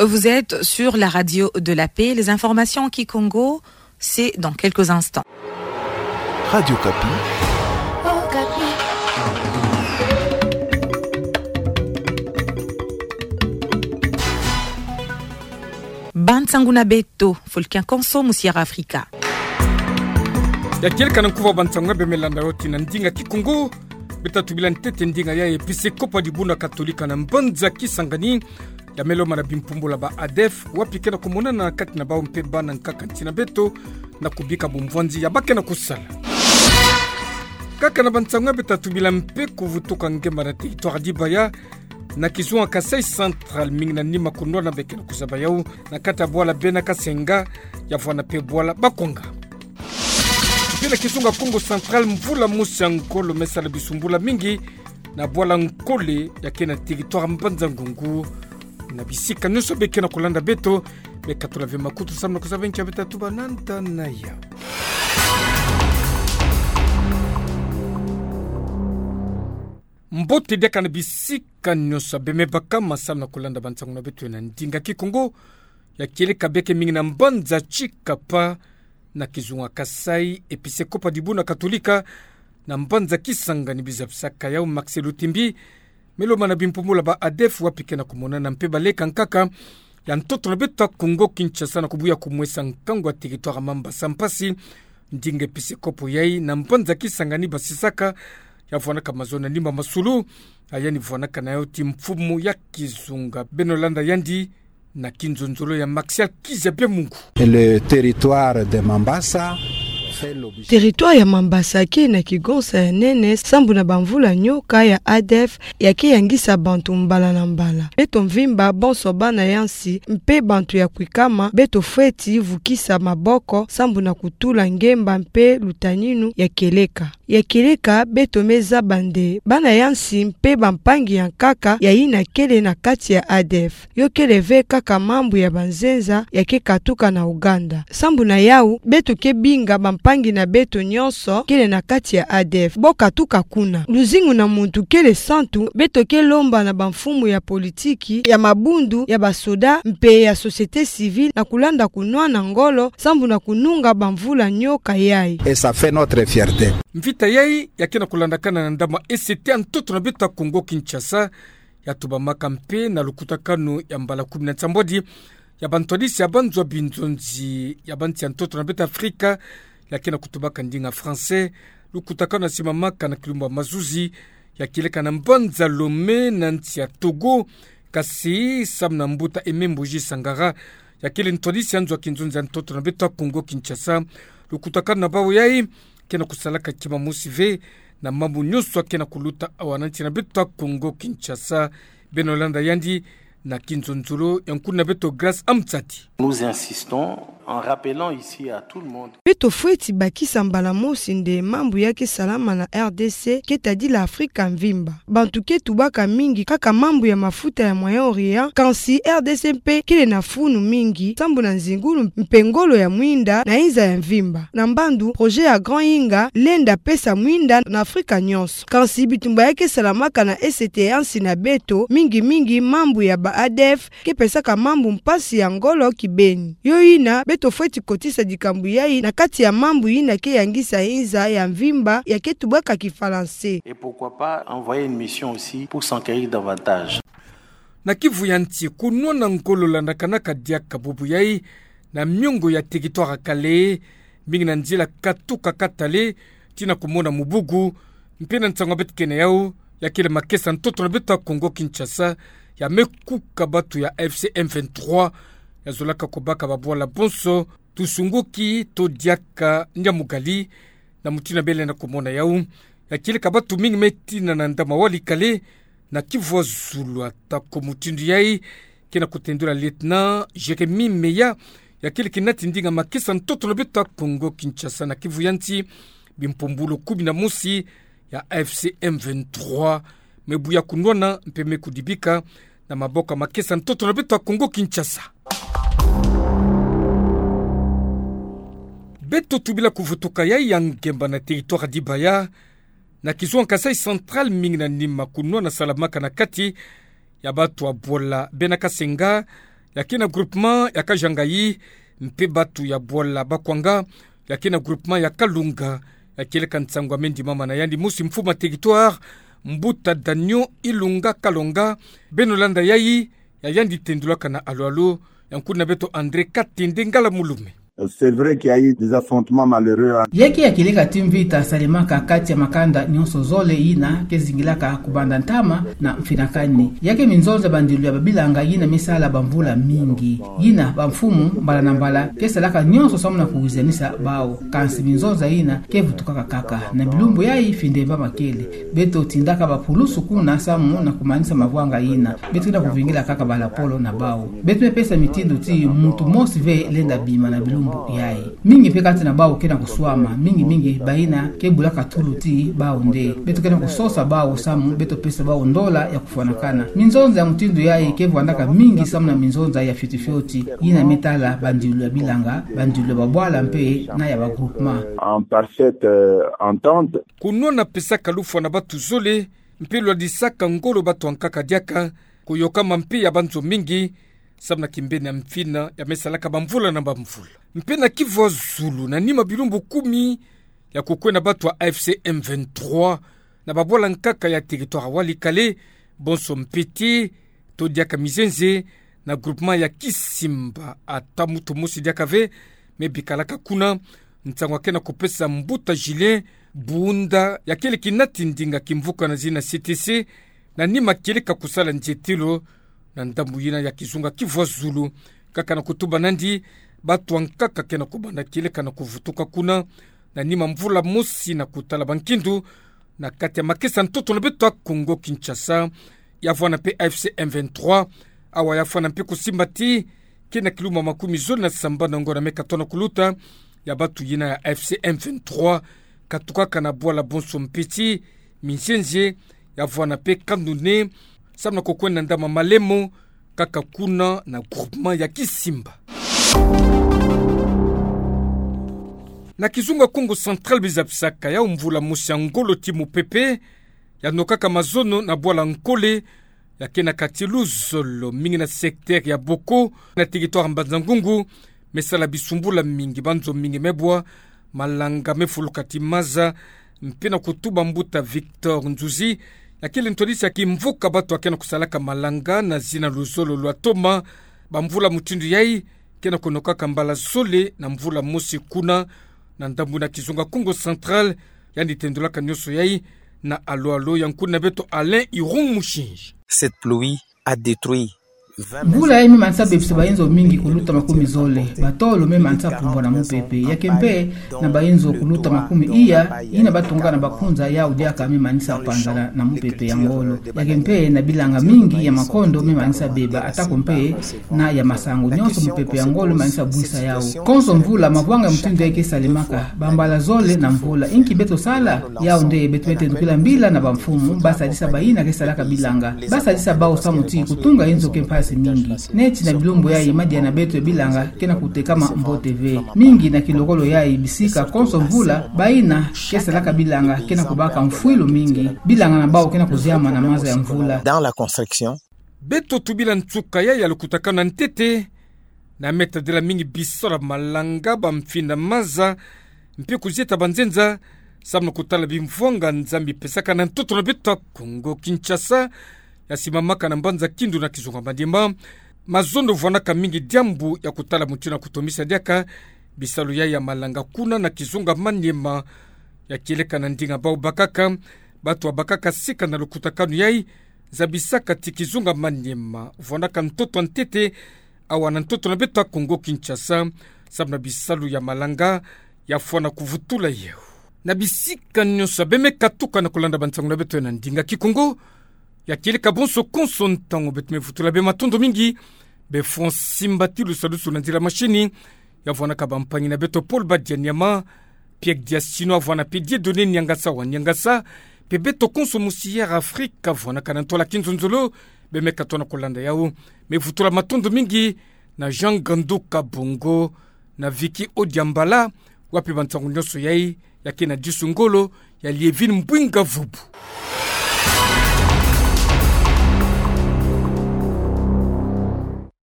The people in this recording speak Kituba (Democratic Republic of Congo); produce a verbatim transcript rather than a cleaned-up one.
Vous êtes sur la radio de la paix. Les informations en kikongo, c'est dans quelques instants. Radio Okapi. Bansangu na beto, Folkin Konso, mu Sierra Africa. Ya kieleka na nkuva bansangu ya bemilanda yo tina ndinga kikongo. Beta tubila ntete ndinga ya episekopo ya dibundu katolika na mbanza Kisangani, ya me lomana bimpumbula ba ADEF, wapi ke na kumonana kati na bau mpe bana nkaka nsi na beto, na kubika bumvwanzi ya ba ke na kusala. Kaka na bansangu ya beta tubila mpe kuvutuka ngemba na territoire ya Dibaya, na kizunga Kasaï Central, mingi na nima kunwana be ke na kuzaba yau, na kati ya bwala Bena Kasenga, ya vwana mpe bwala Bakwanga. Mpe na kizunga Kongo Central, mvula mosi ya ngolo me sala bisumbula mingi na bwala Nkole ya ke na territoire Mbanza Ngungu. Na bisika nyonso be ke na kulanda beto, be katula ve makutu samu na kuzaba nki ya beta tuba na nda na yau. Mbote diaka na bisika nyonso be me baka ma samu na kulanda bansangu na beto na ndinga kikongo. Ya kieleka beke mingi na mbanza Tshikapa, na kizunga Kasaï, episekopo ya dibundu katolika na mbanza Kisangani, biza bisaka yau Maxi Lutimbi, me lomana bimpumbula ba ADEF, wapi ke na kumonana mpe baleka nkaka ya ntoto na beto ya Kongo Kinshasa na kubuya kumwesa nkangu ya territoire Mambasa mpasi. Ndinga episekopo yai na mbanza Kisangani basisaka, ya vwanaka mazono na nima masulu, ya yandi vwanaka na yau ti mfumu ya kizunga. Beno landa yandi na kinzonzolo ya Maxial Kizabia Mungu. Et le territoire de Mambasa fait l'objet. Territoire ya Mambasa ke na kigonsa ya nene sambu na bamvula nyoka ya ADEF ya ke yangisa bantu mbala na mbala. Beto mvimba, bonso bana ya nsi mpe bantu ya kwikama, beto fweti vukisa maboko sambu na kutula ngemba mpe lutaninu ya kieleka. Ya kieleka, beto me zaba nde bana ya nsi mpe bampangi ya nkaka ya yina kele na kati ya ADEF. Yo kele ve kaka mambu ya banzenza ya ke katuka na Ouganda. Sambu na yau, beto ke binga bampangi na beto nyonso kele na kati ya ADEF bo katuka kuna. Luzingu na muntu kele santu, beto ke lomba na bamfumu ya politiki, ya mabundu, ya basoda, mpe ya société civile na kulanda kunwana ngolo sambu na kununga bamvula nyoka yai. Et ça fait notre fierté. Mvita yai ya ke na kulandakana na ndamwa E C T ya ntoto na beto ya Kongo Kinshasa, ya tubamaka mpe na lukutakanu ya mbala kumi na nsambwadi ya bantwadisi ya banzo ya binzonzi ya bansi ya ntoto na beto ya Afrika, ya ke na kutubaka ndinga français. Lukutakanu ya simamaka na kilumbu ya mazuzi, ya kieleka na mbanza Lomé na nsi ya Togo, kasi samu na mbuta Aimé Mbuji Sangara, ya kele ntwadisi ya nzo ya kinzonzi ya ntoto na beto ya Kongo Kinshasa. Lukutakanu na bau yai ke na kusalaka kima mosi ve na mambu nyonso ya ke na kuluta awa na nsi na beto ya Kongo Kinshasa. Beno landa yandi na kinzonzolo ya nkuna beto Grace Amtsati. Nous insistons en rappelant ici à tout le monde. Beto fweti bakisa mbala mosi nde mambu ya ke salama na R D C ke tadila Afrika mvimba. Bantu ke tubaka mingi kaka mambu ya mafuta ya Moyen-Orient, kansi R D C mpe kele na funu mingi sambu na nzingulu mpe ngolo ya mwinda na inza ya mvimba. Na mbandu, projet ya Grand Inga lenda pesa mwinda na Afrika nyonso. Kansi bitumba ya ke salamaka na E C T ya nsi na beto, mingi mingi mambu ya ba ADEF, ke pesaka mambu mpasi ya ngolo kibeni. Yo yina, beto fweti kotisa dikambwai na kati ya mambu yina ke yangisa inza ya mvimba ya ke tubaka Kifalanse. Et pourquoi pas envoyer une mission aussi pour s'enquérir davantage. Na Kivu ya nsi, kunwana ngolo landakanaka diaka bubu yai na miongo ya territoire ya Kalehe, mingi na nzila katuka Katale tii na kumona Mubugu, mpe na nsangu ya beto ke na yau, ya kele makesa ntoto na beto ya Kongo Kinshasa, ya me kuka bantu ya A F C M vingt-trois, ya zolaka kubaka babwala bonso, tusunguki to diaka nyamugali, na mutindu ya bele na kumona yau, ya kieleka bantu mingi me tina na ndamwa Walikale, na Kivu ya zulu. Atako mutindu yai, ke na kutendula lieutenant Jérémie Meya, ya kele kinati ndinga makesa ntoto na beto ya Kongo Kinshasa na Kivu ya nsi, bimpumbulu kumi na mosi ya A F C M vingt-trois me buya kunwana mpe me kudibika na maboko ya makesa ntoto na beto ya Kongo Kinshasa. Beto tubila kuvutuka yai ya ngemba na territoire ya Dibaya, na kizunga Kasaï Central, mingi na nima kunwana salamaka na kati ya bantu ya bwala Bena Kasenga, ya ke na groupement ya Kajangayi, mpe batu ya bwala Bakwanga, ya ke na groupement ya Kalunga, ya kieleka nsangu ya mendi mama na yandi mosi mfumu ya territoire, Mbuta Daniel Ilunga Kalonga, beno landa yayi, ya yandi tendulaka na alo-alo, ya nkuna beto André Katende Ngala Mulume. C'est vrai qu'il y a eu des affrontements malheureux, hein. Ya ke ya kieleka ti mvita salemaka kati ya makanda nyonso zole yina ke zingilaka kubanda ntama na mfinakani. Ya ke minzonza bandilu ya babilanga yina me sala bamvula mingi. Yina bamfumu mbala na mbala ke salaka nyonso samu na kuwizanisa bawu. Kansi minzonza yina ke vutukaka kaka. Na bilumbu yayi findemba makele. Beto tindaka bapulusu kuna samu na kumanisa mavwanga yina. Beto ke na kuvingila kaka balapolo na bawu. Beto me pesa mitindu ti muntu mosi ve lenda bima na bilumbu yayi. Mingi mpe kati na bawu ke na kuswama, mingi mingi bayina ke bulaka tulu ti bawu nde. Beto ke na kusosa bawu samu beto pesa bawu ndola ya kufwanakana. Minzonza ya mutindu yayi ke vwandaka mingi samu na minzonza ya fioti fioti, yina me tala bandilu ya bilanga, bandilu ya babwala mpe na ya bagroupement. En parfaite, euh, entente. Kunwana pesaka lufwa na batu zole, mpe lwadisaka ngolo batu ankaka diaka, kuyokama mpe ya banzo mingi, samu na kimbeni ya mfina ya me salaka bamvula na bamvula. Mpe na Kivu ya zulu, na nima bilumbu kumi ya kukwenda batu ya A F C M vingt-trois, na babwala nkaka ya territoire Walikale, bonso Mpete, to diaka Mizenze, na groupement ya Kisimba, ata muntu mosi diaka ve me bikalaka kuna, nsangu ya ke na kupesa Mbuta Julien Bunda, ya kieleka nati ndinga kimvuka na zina C T C, na nima kieleka kusala nzietelo na ndambu yina ya kizunga Kivu ya zulu, kaka na kutuba nandi, batu ankaka ke na kubanda kieleka na kuvutuka kuna, na nima mvula mosi na kutala bankindu, na kati ya makesa ntoto na beto ya Kongo Kinshasa, ya vwanda mpe A F C M vingt-trois, awa ya fwana mpe kusimba ti, ke na kiluma makumi zole na sambanu na ngonda me katono kuluta, ya batu yina ya A F C M vingt-trois, katukaka na bwala bonso Mpete, Mizenze, ya vwanda mpe Kandune, samu na kukwenda ndama Malemo, kaka kuna na groupement ya Kisimba. Na kizunga Kongo Central, biza bisaka ya mvula mosi ya ngolo ti mupepe, ya nokaka mazono na bwala Nkole, ya ke na quartier Luzolo, mingi na secteur ya Boko, na territoire Mbanza-Ngungu, me sala bisumbula mingi, banzo mingi me bwa, malanga me fuluka ti maza, mpe na kutuba Mbuta Victor Nzuzi, ya kele ntwadisi ya kimvuka batu ya ke na kusalaka malanga na zina Luzolo lwa Toma, bamvula mutindu yayi, ke na kunokaka mbala zole na mvula mosi kuna, na ndambu na kizunga Kongo Central, yandi tendulaka nyonso yayi, na alo-alo ya nkuna beto Alain Irung Mushinji. Cette pluie a détruit vingt maisons. Mvula yayi me manisa bebisa bayinzo mingi kuluta makumi zole, batolo me manisa pumbwa na mupepe, ya ke mpe na bayinzo kuluta makumi iya, yina batungaka na bakunza yau diaka me manisa panzana na mupepe ya ngolo. Ya ke mpe na bilanga mingi ya makondo me manisa beba, atako mpe na ya masangu nyonso mupepe ya ngolo manisa bwisa yau. Konso mvula mavwanga ya mutindu yayi ke salemaka, bambala zole na mvula. Inki beto sala? Yau nde beto me tendukila mbila na bamfumu, basadisa bayina ke salaka bilanga. Basadisa bau samu ti kutunga inzo ke mpasi mingi. Neti na bilumbu yayi madia na beto ya bilanga ke na kutekama mbote ve. Mingi na kilokolo yayi bisika konso mvula, bayina ke salaka bilanga ke na kubaka mfwilu mingi. Bilanga na bau ke na kuziama na maza ya mvula. Dans la construction. Beto tubila nsuka yayi ya lukutakanu ya ntete, na me tadila mingi bisalu ya malanga, bamfinda maza, mpe kuzieta banzenza, samu na kutala bimvwanga Nzambi pesaka na ntoto na beto ya Kongo Kinshasa, ya simamaka na mbanza Kindu na kizunga Maniema. Mazono vwanaka mingi diambu ya kutala mutindu ya kutomisa diaka bisalu yayi ya malanga kuna na kizunga Maniema, ya kieleka na ndinga bau bakaka, batu ya bakaka sika na lukutakanu yayi, zabisaka ti kizunga Maniema vwanaka ntoto ya ntete, awa na ntoto na beto ya Kongo Kinshasa, samu na bisalu ya malanga ya fwana kuvutula yau. Na bisika nyonso beno me katuka na kulanda bansangu na beto na ndinga Kikongo, ya kieleka bonso konso ntangu beto me vutula beno matondo mingi, be fwa nsimbati lusadusu na nzila mashini, ya vwanaka bampangi na beto Paul Badia Niama, Pierre Diasino, ya vwana mpe Dieudonné Niangasa wa Niangasa, mpe beto konso mosi Air Afrique, ya vwanaka na ntwala kinzonzolo, beno me katuka na kulanda yau. Me vutula matondo mingi na Jean Ganduka Bongo, na Vicky Odiambala, wapi bansangu nyonso yayi, ya ke na disu ngolo, ya Lievine Mbwinga Vubu.